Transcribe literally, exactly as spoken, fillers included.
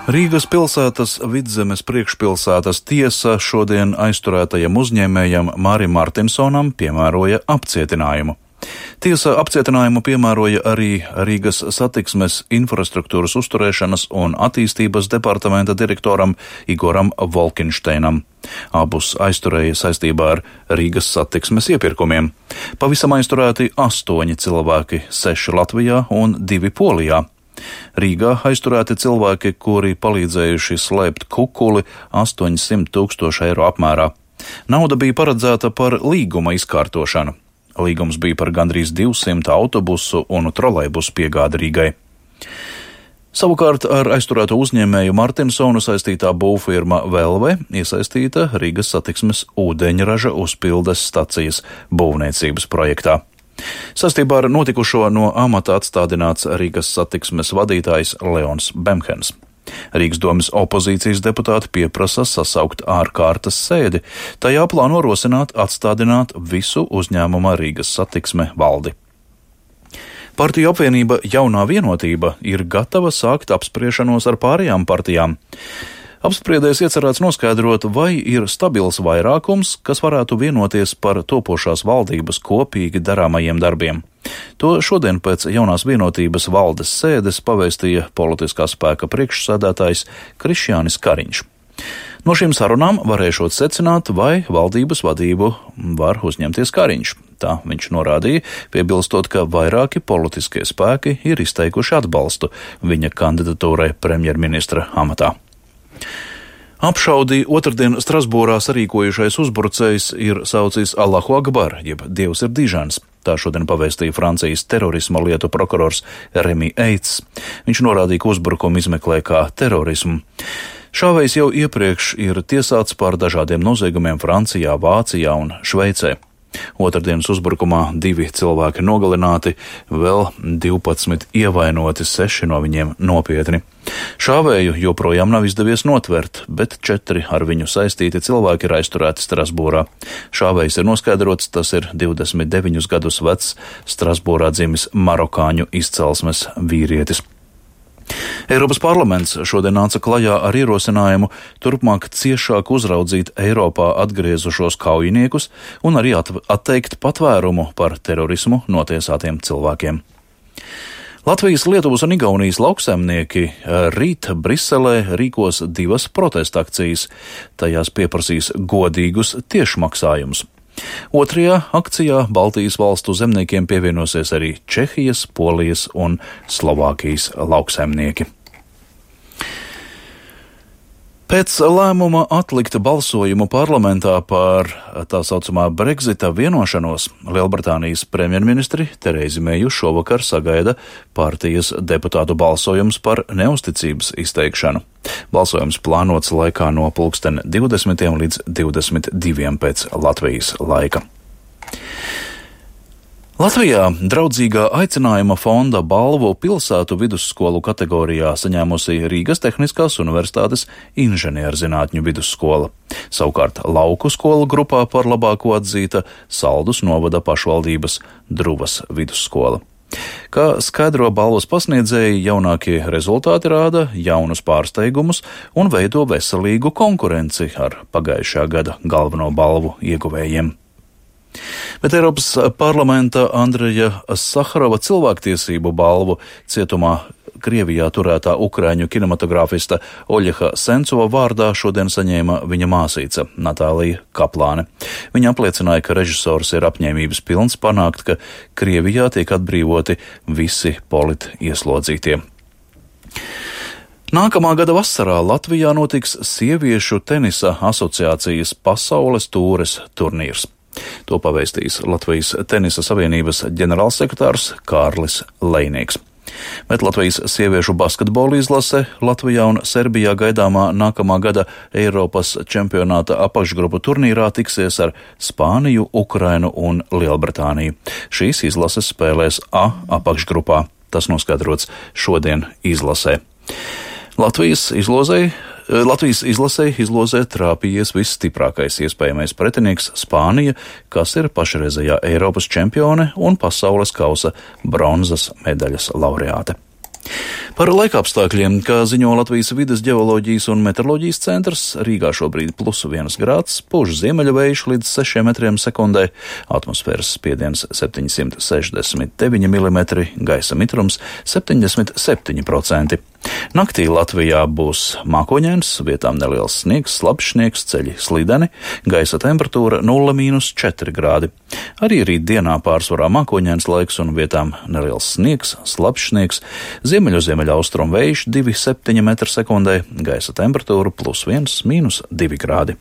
Rīgas pilsētas Vidzemes priekšpilsētas tiesa šodien aizturētajam uzņēmējam Mārim Martinsonam piemēroja apcietinājumu. Tiesa apcietinājumu piemēroja arī Rīgas satiksmes infrastruktūras uzturēšanas un attīstības departamenta direktoram Igoram Volkinšteinam. Abus aizturēja saistībā ar Rīgas satiksmes iepirkumiem. Pavisam aizturēti astoņi cilvēki, seši Latvijā un divi Polijā. Rīgā aizturēti cilvēki, kuri palīdzējuši slēpt kukuli astoņsimt tūkstoši eiro apmērā. Nauda bija paredzēta par līguma izkārtošanu. Līgums bija par gandrīz divsimt autobusu un trolejbusu piegādi Rīgai. Savukārt ar aizturēto uzņēmēju Martinsonu saistītā būvfirma Velve iesaistīta Rīgas satiksmes ūdeņraža uzpildes stacijas būvniecības projektā. Saistībā ar notikušo no amata atstādināts Rīgas satiksmes vadītājs Leons Bemhens. Rīgas domes opozīcijas deputāti pieprasa sasaukt ārkārtas sēdi, tajā plāno rosināt atstādināt visu uzņēmuma Rīgas satiksme valdi. Partiju apvienība Jaunā vienotība ir gatava sākt apspriešanos ar pārējām partijām. Apspriedēs iecerēts noskaidrot, vai ir stabils vairākums, kas varētu vienoties par topošās valdības kopīgi darāmajiem darbiem. To šodien pēc Jaunās vienotības valdes sēdes pavēstīja politiskā spēka priekšsēdētājs Krišjānis Kariņš. No šīm sarunām varēšot secināt, vai valdības vadību var uzņemties Kariņš. Tā viņš norādīja, piebilstot, ka vairāki politiskie spēki ir izteikuši atbalstu viņa kandidatūrai premjerministra amatā. Apšaudī otrdien Strasbūrā sarīkojušais uzbrucējs ir saucis Allahu Akbar, jeb Dievs ir dižans. Tā šodien pavēstīja Francijas terorisma lietu prokurors Remi Eits. Viņš norādīja, ka uzbrukumu izmeklē kā terorismu. Šāvējs jau iepriekš ir tiesāts par dažādiem noziegumiem Francijā, Vācijā un Šveicē. Otrdienas uzbrukumā divi cilvēki nogalināti, vēl divpadsmit ievainoti, seši no viņiem nopietni. Šāvēju joprojām nav izdevies notvert, bet četri ar viņu saistīti cilvēki ir aizturēti Strasbūrā. Šāvējs ir noskaidrots, tas ir divdesmit deviņus gadus vecs Strasbūrā dzimis marokāņu izcelsmes vīrietis. Eiropas parlaments šodien nāca klajā ar ierosinājumu turpmāk ciešāk uzraudzīt Eiropā atgriezušos kaujiniekus un arī atteikt patvērumu par terorismu notiesātiem cilvēkiem. Latvijas, Lietuvas un Igaunijas lauksaimnieki rīt Briselē rīkos divas protesta akcijas. Tajās pieprasīs godīgus tiešmaksājumus. Otrajā akcijā Baltijas valstu zemniekiem pievienosies arī Čehijas, Polijas un Slovākijas lauksaimnieki. Pēc lēmuma atlikt balsojumu parlamentā par tā saucamā Brexita vienošanos, Lielbritānijas premjerministri Terēzi Meju šovakar sagaida partijas deputātu balsojums par neusticības izteikšanu. Balsojums plānots laikā no pulksten divdesmitiem līdz divdesmit diviem pēc Latvijas laika. Latvijā draudzīgā aicinājuma fonda balvu pilsētu vidusskolu kategorijā saņēmusi Rīgas Tehniskās universitātes inženierzinātņu vidusskola. Savukārt lauku skolu grupā par labāko atzīta Saldus novada pašvaldības Druvas vidusskola. Kā skaidro balvas pasniedzēji, jaunākie rezultāti rāda jaunus pārsteigumus un veido veselīgu konkurenci ar pagājušā gada galveno balvu ieguvējiem. Bet Eiropas parlamenta Andreja Saharova cilvēktiesību balvu cietumā Krievijā turētā ukraiņu kinematogrāfista Oļeha Sencova vārdā šodien saņēma viņa māsīca Natālija Kaplāne. Viņa apliecināja, ka režisors ir apņēmības pilns panākt, ka Krievijā tiek atbrīvoti visi politieslodzītie. Nākamā gada vasarā Latvijā notiks Sieviešu tenisa asociācijas pasaules tūres turnīrs. To pavēstīs Latvijas tenisa savienības ģenerālsekretārs Kārlis Lejnieks. Bet Latvijas sieviešu basketbola izlase Latvijā un Serbijā gaidāmā nākamā gada Eiropas čempionāta apakšgrupu turnīrā tiksies ar Spāniju, Ukrainu un Lielbritāniju. Šīs izlases spēlēs A apakšgrupā. Tas noskaidrots šodien izlasē. Latvijas izlozei Latvijas izlasē izlozē trāpījies visstiprākais iespējamais pretinieks Spānija, kas ir pašreizējā Eiropas čempione un pasaules kausa bronzas medaļas laureāte. Par laikapstākļiem, kā ziņo Latvijas vides ģeoloģijas un meteoroloģijas centrs, Rīgā šobrīd plus viens grāds, pūš ziemeļu vējš līdz sešiem metriem sekundē, atmosfēras spiediens septiņsimt sešdesmit deviņi milimetri, gaisa mitrums septiņdesmit septiņi procenti. Naktī Latvijā būs mākoņains, vietām neliels sniegs, slapjš sniegs, ceļi slideni, gaisa temperatūra nulle mīnus četri grādi. Arī rīt dienā pārsvarā mākoņains laiks un vietām neliels sniegs, slapjš sniegs, ziemeļu ziemeļaustrumu vējš divi septiņi metri sekundē, gaisa temperatūra plus viens mīnus divi grādi.